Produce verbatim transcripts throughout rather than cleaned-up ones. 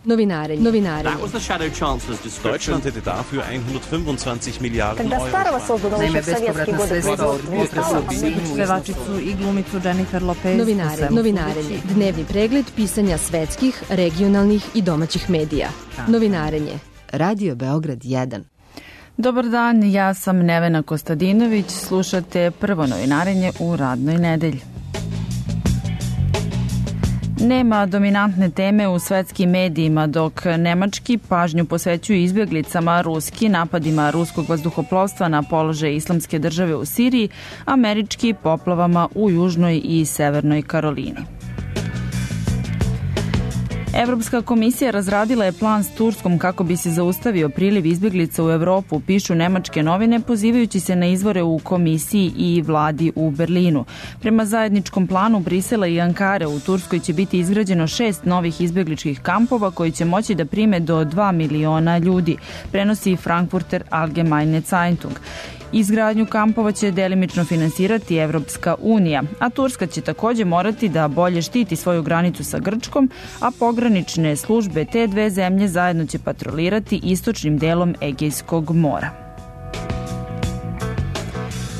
Novinarenje. Novinarenje. Deutschland hätte dafür hundertfünfundzwanzig Miliarden Euro. Naime, bespovratna sredstva od pevačicu i glumicu Jennifer Lopez. Novinarenje. Novinarenje. Dnevni pregled pisanja svetskih, regionalnih i domaćih medija. Novinarenje. Radio Beograd jedan. Dobar dan, ja sam Nevena Kostadinović, slušate prvo novinarenje u radnoj nedelji. Nema dominantne teme u svetskim medijima, dok nemački pažnju posvećuju izbjeglicama, ruski napadima ruskog vazduhoplovstva na položaj Islamske države u Siriji, američki poplavama u Južnoj i Severnoj Karolini. Evropska komisija razradila je plan s Turskom kako bi se zaustavio priliv izbjeglica u Evropu, pišu nemačke novine, pozivajući se na izvore u komisiji i vladi u Berlinu. Prema zajedničkom planu Brisela i Ankare u Turskoj će biti izgrađeno šest novih izbjegličkih kampova koji će moći da prime do dva miliona ljudi, prenosi Frankfurter Allgemeine Zeitung. Izgradnju kampova će delimično finansirati Evropska unija, a Turska će također morati da bolje štiti svoju granicu sa Grčkom, a pogranične službe te dve zemlje zajedno će patrolirati istočnim delom Egejskog mora.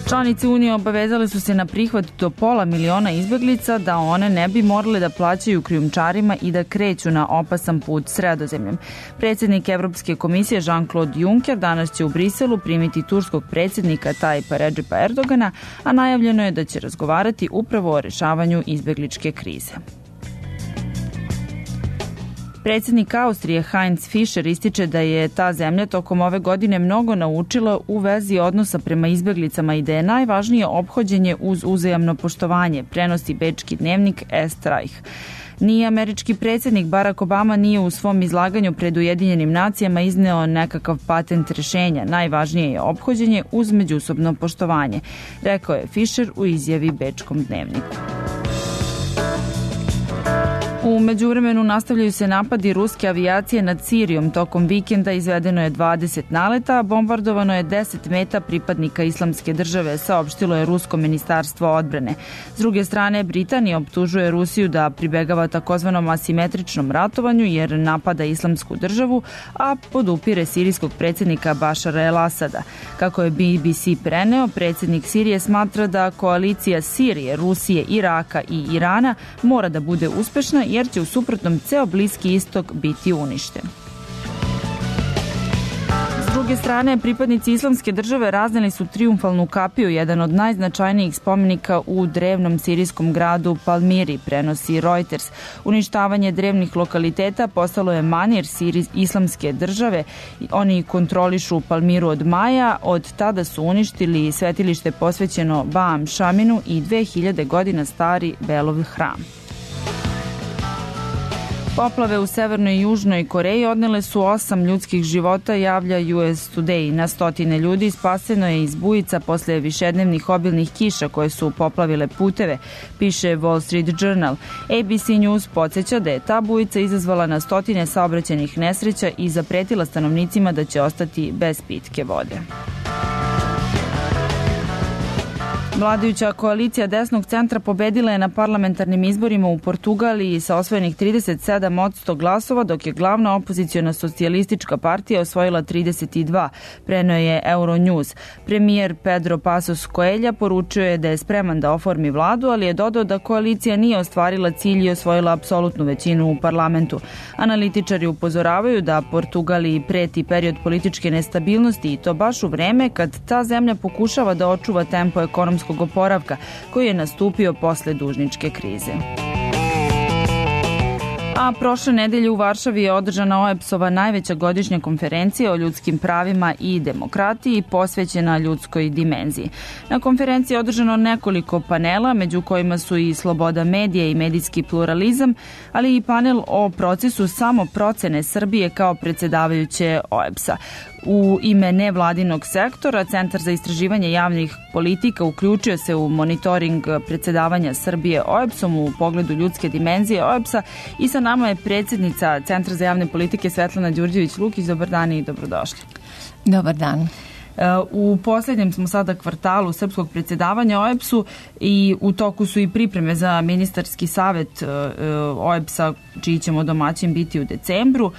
Članice Unije obavezali su se na prihvat do pola miliona izbjeglica da one ne bi morale da plaćaju krijumčarima i da kreću na opasan put Sredozemljem. Predsjednik Evropske komisije Jean-Claude Juncker danas će u Briselu primiti turskog predsjednika Tayyipa Recepa Erdogana, a najavljeno je da će razgovarati upravo o rešavanju izbjegličke krize. Predsjednik Austrije Heinz Fischer ističe da je ta zemlja tokom ove godine mnogo naučila u vezi odnosa prema izbjeglicama i da je najvažnije ophođenje uz uzajamno poštovanje, prenosi bečki dnevnik Est Reich. Ni američki predsjednik Barack Obama nije u svom izlaganju pred Ujedinjenim nacijama izneo nekakav patent rješenja. Najvažnije je ophođenje uz međusobno poštovanje, rekao je Fischer u izjavi bečkom dnevniku. U međuvremenu nastavljaju se napadi ruske avijacije nad Sirijom. Tokom vikenda izvedeno je dvadeset naleta, a bombardovano je deset meta pripadnika Islamske države, saopštilo je rusko ministarstvo odbrane. S druge strane, Britanija optužuje Rusiju da pribegava takozvanom asimetričnom ratovanju jer napada Islamsku državu, a podupire sirijskog predsjednika Bašara el-Asada. Kako je B B C preneo, predsjednik Sirije smatra da koalicija Sirije, Rusije, Iraka i Irana mora da bude uspešna jer će u suprotnom ceo Bliski istok biti uništen. S druge strane, pripadnici Islamske države razneli su trijumfalnu kapiju, jedan od najznačajnijih spomenika u drevnom sirijskom gradu Palmiri, prenosi Reuters. Uništavanje drevnih lokaliteta postalo je manir Islamske države. Oni kontrolišu Palmiru od maja, od tada su uništili svetilište posvećeno Baam Šaminu i dve hiljade godina stari Belov hram. Poplave u Severnoj i Južnoj Koreji odnele su osam ljudskih života, javlja U S Today. Na stotine ljudi spaseno je iz bujica posle višednevnih obilnih kiša koje su poplavile puteve, piše Wall Street Journal. A B C News podsjeća da je ta bujica izazvala na stotine saobraćajnih nesreća i zapretila stanovnicima da će ostati bez pitke vode. Vladajuća koalicija desnog centra pobedila je na parlamentarnim izborima u Portugaliji sa osvojenih trideset sedam posto glasova, dok je glavna opoziciona socijalistička partija osvojila trideset dva, preneo je Euronews. Premijer Pedro Passos Coelho poručio je da je spreman da oformi vladu, ali je dodao da koalicija nije ostvarila cilj i osvojila apsolutnu većinu u parlamentu. Analitičari upozoravaju da Portugaliji preti period političke nestabilnosti i to baš u vreme kad ta zemlja pokušava da očuva tempo ekonomskog oporavka koji je nastupio posle dužničke krize. A prošle nedelje u Varšavi je održana O E B S-ova najveća godišnja konferencija o ljudskim pravima i demokratiji posvećena ljudskoj dimenziji. Na konferenciji je održano nekoliko panela, među kojima su i sloboda medija i medijski pluralizam, ali i panel o procesu samoprocene Srbije kao predsjedavajuće O E B S-a. U ime nevladinog sektora, Centar za istraživanje javnih politika uključio se u monitoring predsjedavanja Srbije O E B S-om u pogledu ljudske dimenzije O E B S-a i sa nama je predsjednica Centra za javne politike Svetlana Đurđević-Lukić. Dobar dan i dobrodošli. Dobar dan. U posljednjem smo sada kvartalu srpskog predsjedavanja O E B S-u i u toku su i pripreme za ministarski savjet O E B S-a, čiji ćemo domaćin biti u decembru.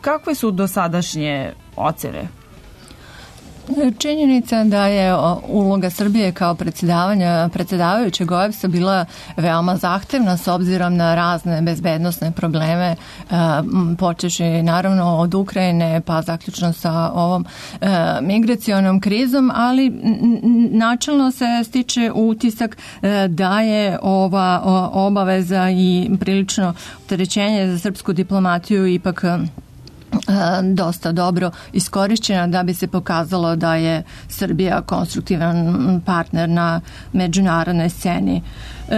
Kakve su dosadašnje ocene? Činjenica da je uloga Srbije kao predsjedavanja predsjedavajućeg O E B S-a bila veoma zahtevna s obzirom na razne bezbednosne probleme, počeši naravno od Ukrajine pa zaključno sa ovom migracionom krizom, ali načelno se stiče utisak da je ova obaveza i prilično opterećenje za srpsku diplomatiju ipak dosta dobro iskorišćena da bi se pokazalo da je Srbija konstruktivan partner na međunarodnoj sceni. E,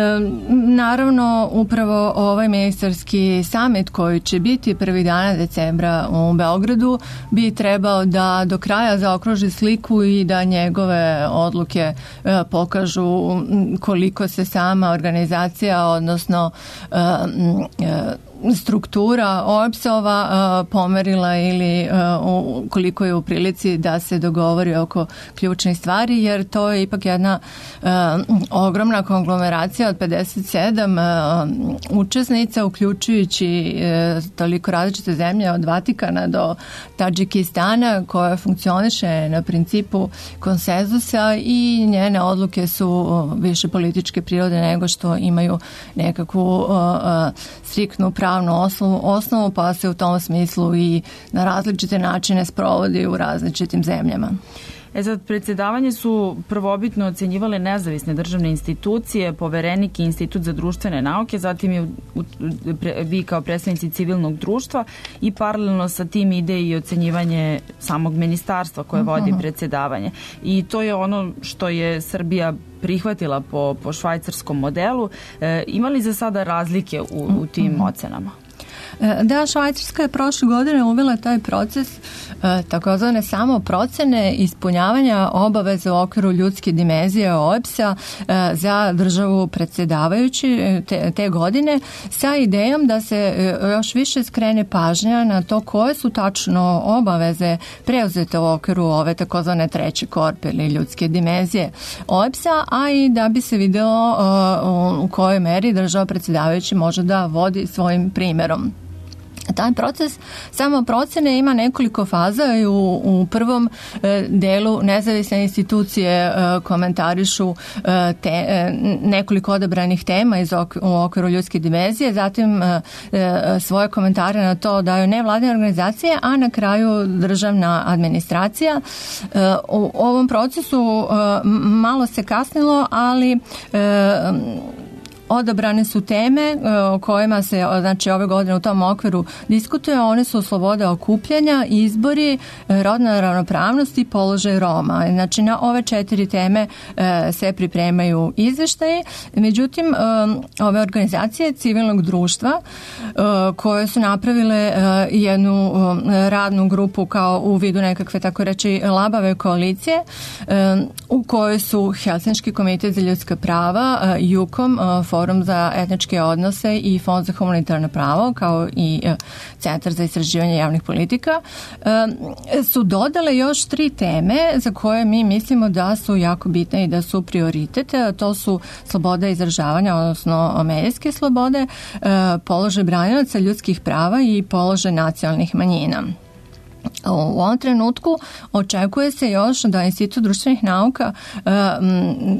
naravno, upravo ovaj ministarski samit koji će biti prvih dana decembra u Beogradu bi trebao da do kraja zaokruži sliku i da njegove odluke e, pokažu koliko se sama organizacija, odnosno e, e, struktura O E B S-ova uh, pomerila ili uh, koliko je u prilici da se dogovori oko ključnih stvari, jer to je ipak jedna uh, ogromna konglomeracija od pedeset sedam uh, učesnica, uključujući uh, toliko različite zemlje od Vatikana do Tadžikistana, koja funkcioniše na principu konsenzusa i njene odluke su više političke prirode nego što imaju nekakvu uh, uh, striktnu pravnu Osnovu, osnovu, pa se u tom smislu i na različite načine sprovodi u različitim zemljama. E sad, predsjedavanje su prvobitno ocenjivale nezavisne državne institucije, Poverenik i Institut za društvene nauke, zatim je u, u, pre, vi kao predstavnici civilnog društva i paralelno sa tim ide i ocenjivanje samog ministarstva koje vodi predsjedavanje. I to je ono što je Srbija prihvatila po, po švajcarskom modelu. E, ima li za sada razlike u, u tim ocenama? Da, Švajcarska je prošle godine uvela taj proces takozvane samo procene ispunjavanja obaveza u okviru ljudske dimenzije O E B S-a za državu predsjedavajući te, te godine sa idejom da se još više skrene pažnja na to koje su tačno obaveze preuzete u okviru ove takozvane treće korpe ili ljudske dimenzije O E B S-a, a i da bi se videlo u kojoj meri država predsjedavajući može da vodi svojim primjerom. Taj proces samo procene ima nekoliko faza i u, u prvom e, delu nezavisne institucije e, komentarišu e, te, e, nekoliko odabranih tema iz ok, u okviru ljudske dimenzije, zatim e, e, svoje komentare na to daju nevladine organizacije, a na kraju državna administracija. E, u ovom procesu e, malo se kasnilo, ali e, odabrane su teme o kojima se, znači, ove godine u tom okviru diskutuje. One su sloboda okupljanja, izbori, rodna ravnopravnost i položaj Roma. Znači, na ove četiri teme se pripremaju izveštaje. Međutim, ove organizacije civilnog društva koje su napravile jednu radnu grupu kao u vidu nekakve, tako reći, labave koalicije u kojoj su Helsinški komitet za ljudska prava, JUKOM, Forum za etničke odnose i Fond za humanitarno pravo, kao i Centar za istraživanje javnih politika, su dodale još tri teme za koje mi mislimo da su jako bitne i da su prioritet. To su sloboda izražavanja, odnosno medijske slobode, položaj branilaca ljudskih prava i položaj nacionalnih manjina. U ovom trenutku očekuje se još da Institut društvenih nauka e,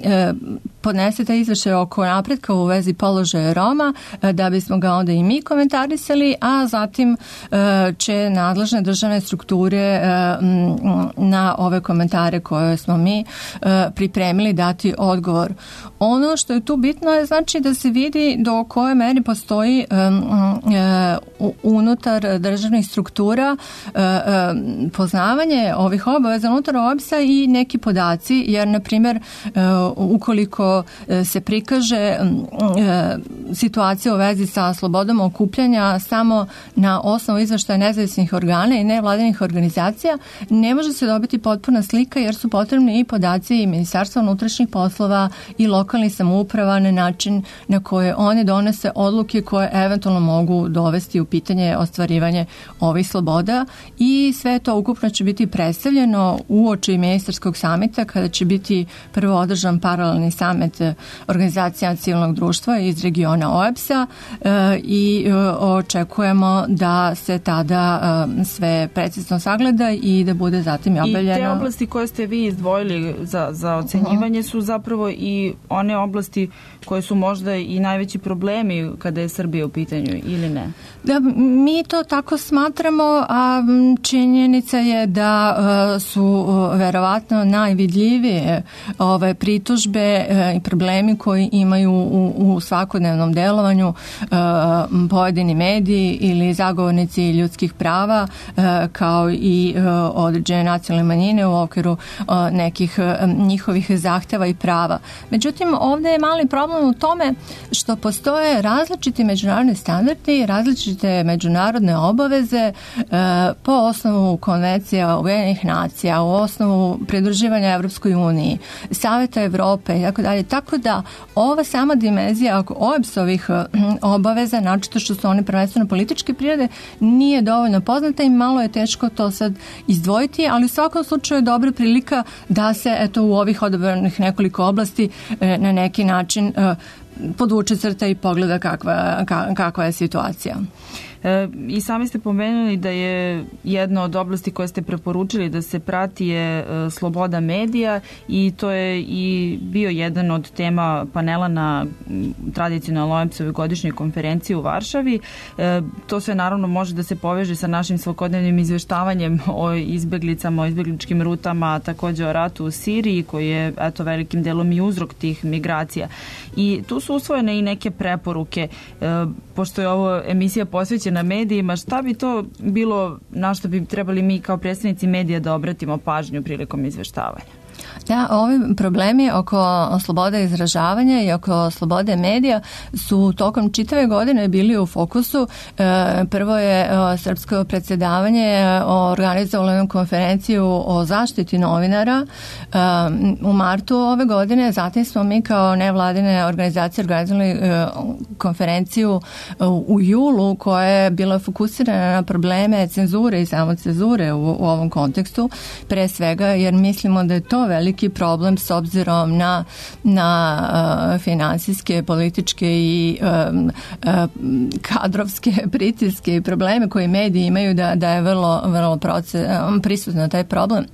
e, podnese taj izveštaj oko napretka u vezi položaja Roma, e, da bismo ga onda i mi komentarisali, a zatim e, će nadležne državne strukture e, na ove komentare koje smo mi e, pripremili dati odgovor. Ono što je tu bitno je, znači, da se vidi do koje meri postoji e, e, unutar državnih struktura e, poznavanje ovih obaveza unutar O E B S-a i neki podaci, jer, na primjer, ukoliko ako se prikaže situacija u vezi sa slobodom okupljanja samo na osnovu izveštaja nezavisnih organa i nevladinih organizacija, ne može se dobiti potpuna slika jer su potrebni i podaci i Ministarstva unutrašnjih poslova i lokalnih samouprava na način na koje one donese odluke koje eventualno mogu dovesti u pitanje ostvarivanje ovih sloboda i sve to ukupno će biti predstavljeno uoči ministarskog samita kada će biti prvo održan paralelni samit organizacija civilnog društva iz regiona O E B S A i očekujemo da se tada sve precizno sagleda i da bude zatim i objavljeno. I te oblasti koje ste vi izdvojili za, za ocenjivanje uh-huh. su zapravo i one oblasti koje su možda i najveći problemi kada je Srbija u pitanju ili ne? Da, mi to tako smatramo, a činjenica je da uh, su uh, verovatno najvidljivije ove pritužbe uh, i problemi koji imaju u, u svakodnevnom delovanju uh, pojedini mediji ili zagovornici ljudskih prava uh, kao i uh, određene nacionalne manjine u okviru uh, nekih uh, njihovih zahteva i prava. Međutim, ovdje je mali problem u tome što postoje različiti međunarodni standardi, različite međunarodne obaveze e, po osnovu konvencija Ujedinjenih nacija, u osnovu pridruživanja Evropskoj uniji, Saveta Evrope i tako dalje. Tako da ova sama dimenzija O E B S-ovih obaveza, načito što su one prvenstveno političke prirode, nije dovoljno poznata i malo je teško to sad izdvojiti, ali u svakom slučaju je dobra prilika da se eto u ovih odabranih nekoliko oblasti e, na neki način e, podvuče crta i pogleda kakva, kakva je situacija. E, I sami ste pomenuli da je jedna od oblasti koje ste preporučili da se prati je e, sloboda medija i to je i bio jedan od tema panela na tradicionalnoj O E B S-ovoj godišnjoj konferenciji u Varšavi. E, to sve naravno može da se poveže sa našim svakodnevnim izveštavanjem o izbeglicama, o izbegličkim rutama, također o ratu u Siriji koji je eto velikim delom i uzrok tih migracija. I tu su usvojene i neke preporuke. E, pošto je ovo emisija posvećena na medijima, šta bi to bilo na što bi trebali mi kao predstavnici medija da obratimo pažnju prilikom izveštavanja? Da, ovi problemi oko slobode izražavanja i oko slobode medija su tokom čitave godine bili u fokusu. E, prvo je e, srpsko predsjedavanje organizovalo konferenciju o zaštiti novinara e, u martu ove godine. Zatim smo mi kao nevladine organizacije organizovali e, konferenciju e, u julu koja je bila fokusirana na probleme cenzure i samocenzure u, u ovom kontekstu. Pre svega jer mislimo da je to veliki problem s obzirom na, na uh, finansijske, političke i um, uh, kadrovske pritiske i probleme koje mediji imaju da, da je vrlo, vrlo proces, um, prisutno taj problem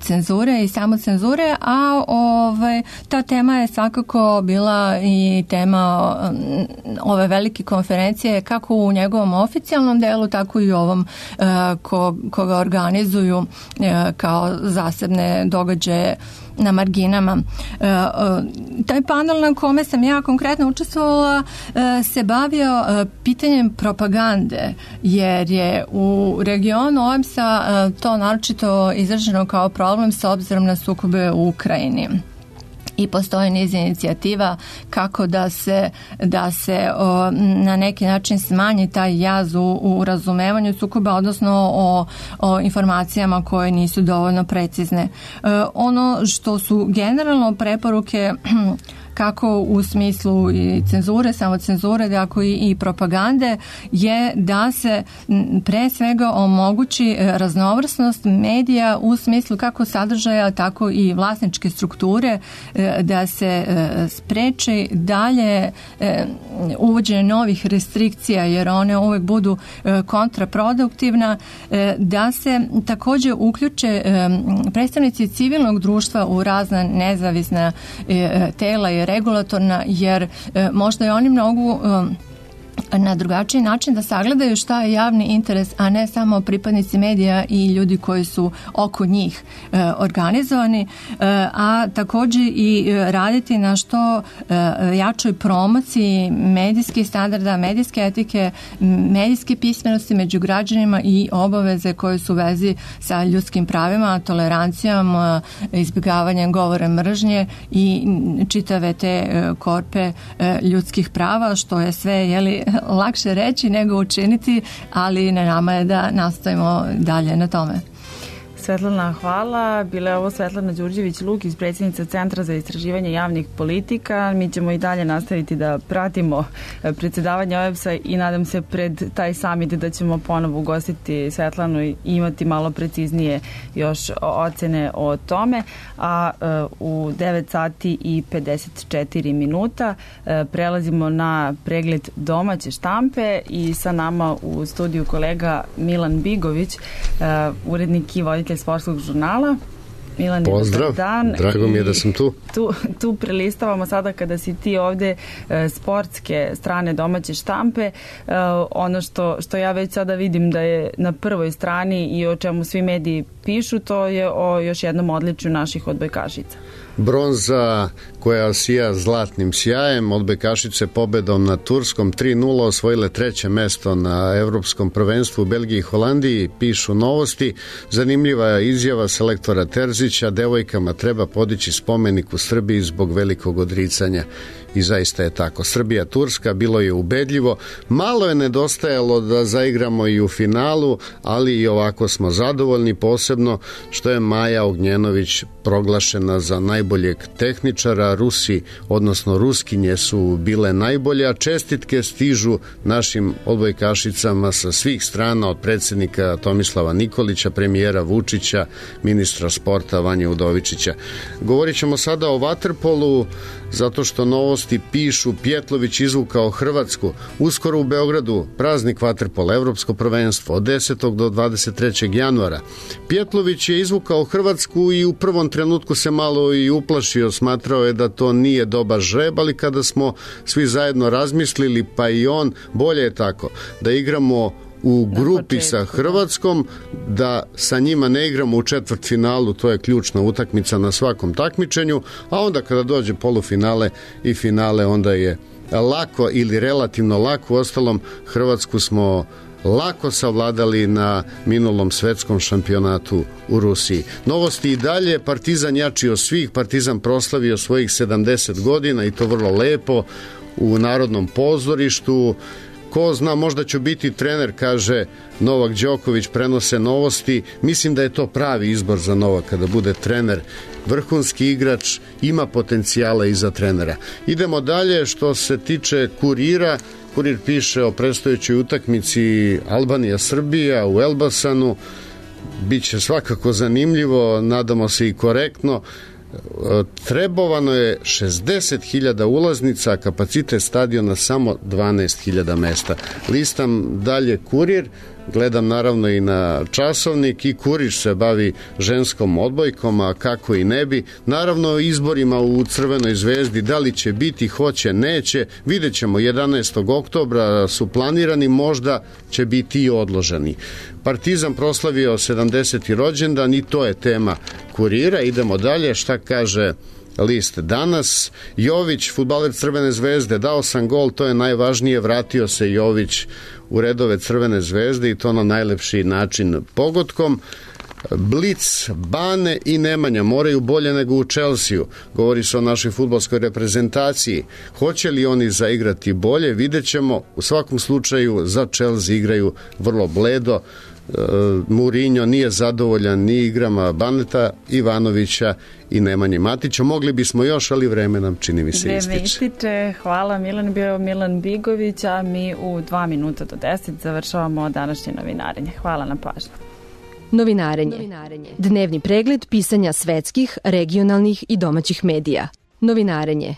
cenzure i samocenzure, a ovaj, ta tema je svakako bila i tema ove velike konferencije kako u njegovom oficijalnom delu, tako i u ovom ko, koga organizuju kao zasebne događaje na marginama. E, taj panel na kome sam ja konkretno učestvovala e, se bavio e, pitanjem propagande, jer je u regionu O E B S-a e, to naročito izraženo kao problem s obzirom na sukobe u Ukrajini. I postoji niz inicijativa kako da se, da se o, na neki način smanji taj jaz u, u razumevanju sukoba, odnosno o, o informacijama koje nisu dovoljno precizne. E, ono što su generalno preporuke kako u smislu i cenzure, samocenzure, tako i, i propagande, je da se pre svega omogući raznovrsnost medija u smislu kako sadržaja, tako i vlasničke strukture, da se spreči dalje uvođenje novih restrikcija, jer one uvek budu kontraproduktivna, da se također uključe predstavnici civilnog društva u razna nezavisna tela i regulatorna, jer e, možda i oni mnogu e, na drugačiji način da sagledaju šta je javni interes, a ne samo pripadnici medija i ljudi koji su oko njih e, organizovani, e, a također i raditi na što e, jačoj promociji medijskih standarda, medijske etike, medijske pismenosti među građanima i obaveze koje su u vezi sa ljudskim pravima, tolerancijom, e, izbjegavanjem govora mržnje i čitave te e, korpe e, ljudskih prava, što je sve, jeli, lakše reći nego učiniti, ali na nama je da nastavimo dalje na tome. Svetlana, hvala. Bila je ovo Svetlana Đurđević-Lukić, predsjednica Centra za istraživanje javnih politika. Mi ćemo i dalje nastaviti da pratimo predsjedavanje O E B S-a i nadam se pred taj summit da ćemo ponovo ugostiti Svetlanu i imati malo preciznije još ocene o tome. A u devet sati i pedeset četiri minuta prelazimo na pregled domaće štampe i sa nama u studiju kolega Milan Bigović, urednik i voditelj sportskog žurnala. Milan, pozdrav, dan. Drago mi je da sam tu. Tu, tu prelistavamo sada kada si ti ovde e, sportske strane domaće štampe. E, ono što, što ja već sada vidim da je na prvoj strani i o čemu svi mediji pišu, to je o još jednom odličju naših odbojkašica. Bronza koja sija zlatnim sjajem, odbojkašice pobedom na turskom tri nula osvojile treće mesto na evropskom prvenstvu u Belgiji i Holandiji, pišu Novosti. Zanimljiva je izjava selektora Terzića, devojkama treba podići spomenik u Srbiji zbog velikog odricanja. I zaista je tako. Srbija-Turska bilo je ubedljivo. Malo je nedostajalo da zaigramo i u finalu, ali i ovako smo zadovoljni, posebno što je Maja Ognjenović proglašena za najboljeg tehničara. Rusi, odnosno Ruskinje su bile najbolje, a čestitke stižu našim odbojkašicama sa svih strana, od predsjednika Tomislava Nikolića, premijera Vučića, ministra sporta Vanje Udovičića. Govorit ćemo sada o vaterpolu, zato što Novosti pišu Pjetlović izvukao Hrvatsku. Uskoro u Beogradu praznik vaterpola, evropsko prvenstvo od desetog do dvadeset trećeg januara. Pjetlović je izvukao Hrvatsku i u prvom trenutku se malo i uplašio, smatrao je da to nije dobar žreb, ali kada smo svi zajedno razmislili, pa i on, bolje je tako, da igramo u grupi sa Hrvatskom, da sa njima ne igramo u četvrtfinalu, to je ključna utakmica na svakom takmičenju, a onda kada dođe polufinale i finale, onda je lako ili relativno lako. Uostalom, Hrvatsku smo lako savladali na minulom svetskom šampionatu u Rusiji. Novosti i dalje, Partizan jači od svih, Partizan proslavio svojih sedamdeset godina i to vrlo lepo u Narodnom pozorištu. Ko zna, možda ću biti trener, kaže Novak Đoković, prenose Novosti. Mislim da je to pravi izbor za Novaka, da bude trener. Vrhunski igrač, ima potencijala i za trenera. Idemo dalje, što se tiče Kurira. Kurir piše o predstojećoj utakmici Albanija-Srbija u Elbasanu. Biće svakako zanimljivo, nadamo se i korektno. Trebovano je šezdeset hiljada ulaznica, a kapacitet stadiona samo dvanaest hiljada mesta. Listam dalje Kurir, gledam naravno i na časovnik, i Kurir se bavi ženskom odbojkom, a kako i ne bi. Naravno izborima u Crvenoj zvezdi, da li će biti, hoće, neće, vidjet ćemo. jedanaestog oktobra su planirani, možda će biti i odloženi. Partizan proslavio sedamdeseti rođendan i to je tema Kurira. Idemo dalje, šta kaže list danas. Jović, fudbaler Crvene zvezde, dao sam gol, to je najvažnije, vratio se Jović u redove Crvene zvezde i to na najlepši način pogodkom. Blic, Bane i Nemanja moraju bolje nego u Chelsea. Govori se o našoj fudbalskoj reprezentaciji. Hoće li oni zaigrati bolje? Vidjet ćemo. U svakom slučaju za Chelsea igraju vrlo bledo. Mourinho nije zadovoljan ni igrama Baneta, Ivanovića i Nemanje Matića. Mogli bismo još, ali vreme nam, čini mi se, ističe. Vreme ističe. Hvala. Milan, bio Milan Bigović, a mi u dva minuta do deset završavamo današnje novinarenje. Hvala na pažnju. Novinarenje. Novinarenje. Dnevni pregled pisanja svetskih, regionalnih i domaćih medija. Novinarenje.